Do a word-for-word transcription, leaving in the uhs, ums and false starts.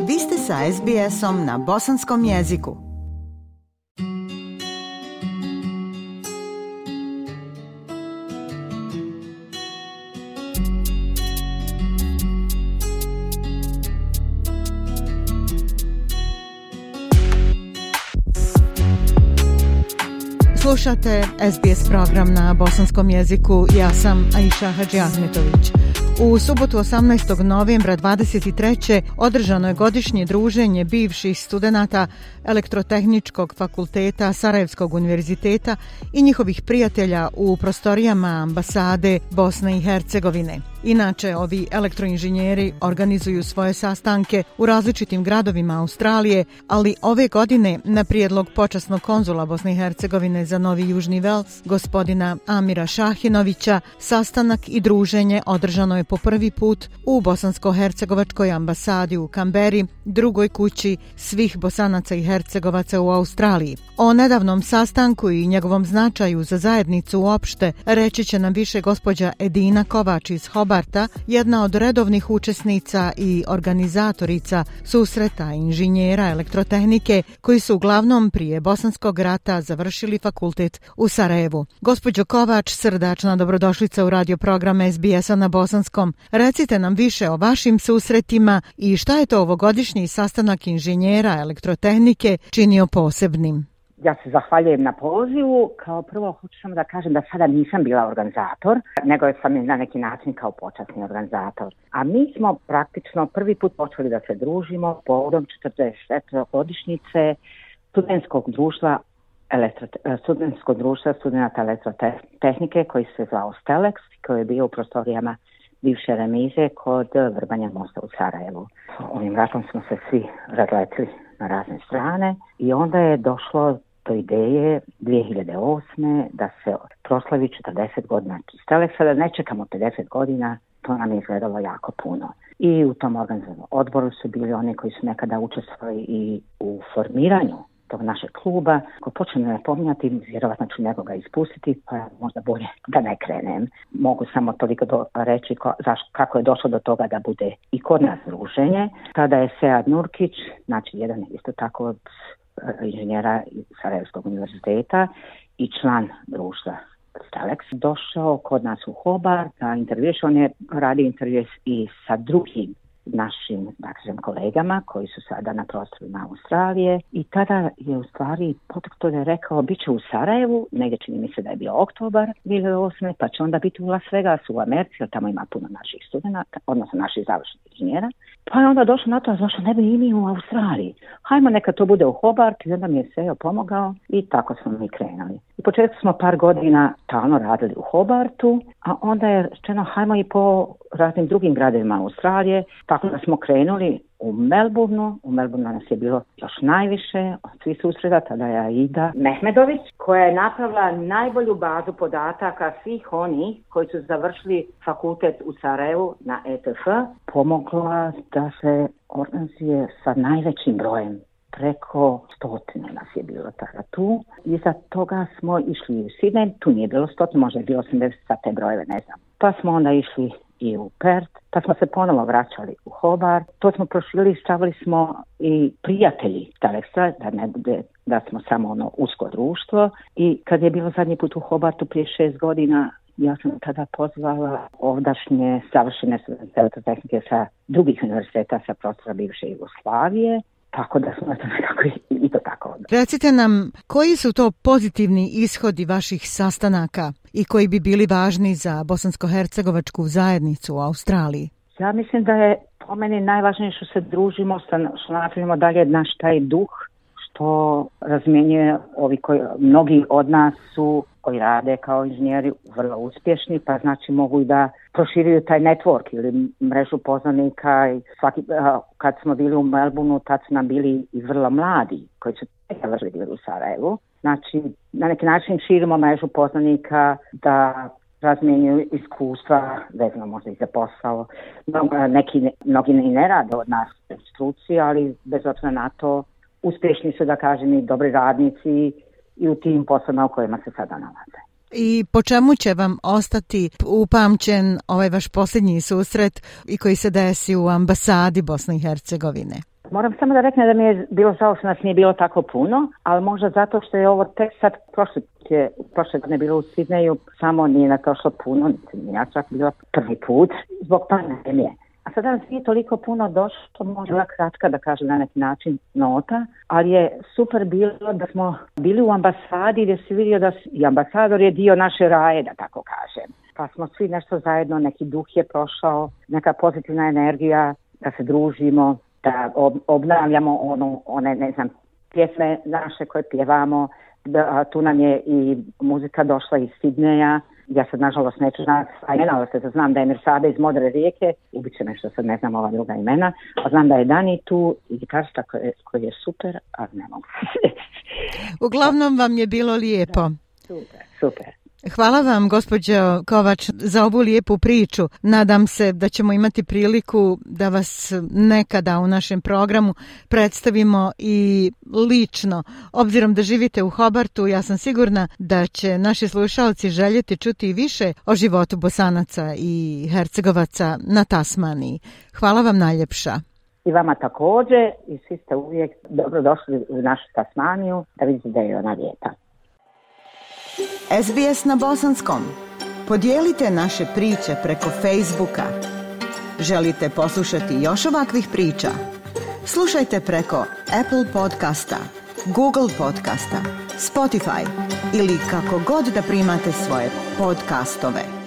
Vi ste sa es be esom na bosanskom jeziku. Slušate es be es program na bosanskom jeziku. Ja sam Aisha Hadži Ahmetović. U subotu osamnaestog novembra dvadeset treće održano je godišnje druženje bivših studenata Elektrotehničkog fakulteta Sarajevskog univerziteta i njihovih prijatelja u prostorijama ambasade Bosne i Hercegovine. Inače, ovi elektroinženjeri organizuju svoje sastanke u različitim gradovima Australije, ali ove godine na prijedlog počasnog konzula Bosne i Hercegovine za Novi Južni Vels, gospodina Amira Šahinovića, sastanak i druženje održano je po prvi put u bosansko-hercegovačkoj ambasadi u Kamberi, drugoj kući svih Bosanaca i Hercegovaca u Australiji. O nedavnom sastanku i njegovom značaju za zajednicu uopšte reći će nam više gospođa Edina Kovač iz Hobarta, jedna od redovnih učesnica i organizatorica susreta inženjera elektrotehnike koji su uglavnom prije Bosanskog rata završili fakultet u Sarajevu. Gospođo Kovač, srdačna dobrodošlica u radio program es be es-a na bosanskom. Recite nam više o vašim susretima i šta je to ovogodišnji sastanak inženjera elektrotehnike činio posebnim. Ja se zahvaljujem na pozivu. Kao prvo hoću samo da kažem da sada nisam bila organizator, nego sam na neki način kao počasni organizator. A mi smo praktično prvi put počeli da se družimo povodom četrdeset četvrte godišnjice studentskog društva elektro, studentskog društva studenata elektrotehnike koji se zvao Stelex, koji je bio u prostorijama bivše remize kod Vrbanja mosta u Sarajevu. Ovim ratom smo se svi razletili na razne strane i onda je došlo do ideje dvije hiljade osme da se proslavi četrdeset godina Stelexa, da ne čekamo pedeset godina, to nam je izgledalo jako puno. I u tom organizacijom odboru su bili oni koji su nekada učestvovali i u formiranju tog našeg kluba. Ako počnem ne pominjati, vjerovatno ću nekoga ispustiti, pa možda bolje da ne krenem. Mogu samo toliko do, reći ko, zaš, kako je došlo do toga da bude i kod nas druženje. Tada je Sead Nurkić, znači jedan isto tako od inženjera iz Sarajevskog univerziteta i član društva Stelex, došao kod nas u Hobart na intervju. On je radio intervju i sa drugim našim, dakle, kolegama koji su sada na prostorima Australije i tada je u stvari poteklo da je rekao bit će u Sarajevu, negdje čini mi se da je bio oktobar dvije hiljade osme, pa će onda biti u Las Vegasu u Americi, jer tamo ima puno naših studenata, odnosno naših završenih inženjera. Pa je onda došlo na to, zašto ne bi i mi u Australiji? Hajmo neka to bude u Hobart i onda mi je Sejo pomogao i tako smo mi krenuli. U početku smo par godina talno radili u Hobartu, a onda je rečeno hajmo i po raznim drugim gradovima Australije, tako da smo krenuli u Melbourneu. U Melbourneu nas je bilo još najviše od svih susreta, tada je Aida Mehmedović, koja je napravila najbolju bazu podataka svih onih koji su završili fakultet u Sarajevu na E T F, pomogla da se organizuje sa najvećim brojem. Preko stotine nas je bilo tada tu. Iza toga smo išli u Sydney, tu nije bilo stotine, možda je bilo osamdeset za te brojeve, ne znam. Pa smo onda išli i u Perth, pa smo se ponovo vraćali u Hobart. To smo prošili, stavili smo i prijatelji Stelexa, da ne bude da smo samo ono usko društvo. I kad je bilo zadnji put u Hobartu prije šest godina, ja sam tada pozvala ovdašnje savršene studente elektrotehnike sa drugih univerziteta sa prostora bivše Jugoslavije. Tako da smo to nekako i to tako. Recite nam, koji su to pozitivni ishodi vaših sastanaka i koji bi bili važni za bosansko-hercegovačku zajednicu u Australiji? Ja mislim da je po meni najvažnije što se družimo, što napravimo dalje naš taj duh, što razmjenjuje ovi koji, mnogi od nas su koji rade kao inženjeri vrlo uspješni, pa znači mogu i da proširuju taj network ili mrežu poznanika. I svaki, kad smo bili u Melbourneu, tad su nam bili i vrlo mladi koji su završili bili u Sarajevu. Znači, na neki način širimo mrežu poznanika da razmjenjuju iskustva, vezano možda i za posao. Neki, mnogi i ne rade od nas struci, ali bez obzira na to uspješni su, da kažem, i dobri radnici i u tim poslovima u kojima se sada nalaze. I po čemu će vam ostati upamćen ovaj vaš posljednji susret i koji se desi u ambasadi Bosne i Hercegovine? Moram samo da reknem da mi je bilo žao što nas nije bilo tako puno, ali možda zato što je ovo tek sad prošle, prošle godine bilo u Sidneju, samo nije na to što puno, ja čak bila prvi put zbog pandemije. A sada nas nije toliko puno došlo, možda kratka da kažem na neki način nota, ali je super bilo da smo bili u ambasadi gdje se vidio da i ambasador je dio naše raje, da tako kažem. Pa smo svi nešto zajedno, neki duh je prošao, neka pozitivna energija, da se družimo, da obnavljamo ono, one, ne znam, pjesme naše koje pjevamo. Da, tu nam je i muzika došla iz Sidneja. Ja sad nažalost neću znati sva imena, ali se znam da je Mirsada iz Modre rijeke, ubit će me što sad ne znam ova druga imena, a znam da je Dani tu i gitarista koji je, koji je super, a ne mogu. Uglavnom vam je bilo lijepo. Da, super, super. Hvala vam, gospođo Kovač, za ovu lijepu priču. Nadam se da ćemo imati priliku da vas nekada u našem programu predstavimo i lično. Obzirom da živite u Hobartu, ja sam sigurna da će naši slušalci željeti čuti više o životu Bosanaca i Hercegovaca na Tasmaniji. Hvala vam najljepša. I vama također, i svi ste uvijek dobro došli u našu Tasmaniju, da vidite da je ona lijepa. S B S na bosanskom. Podijelite naše priče preko Facebooka. Želite poslušati još ovakvih priča? Slušajte preko Apple podcasta, Google podcasta, Spotify ili kako god da primate svoje podcastove.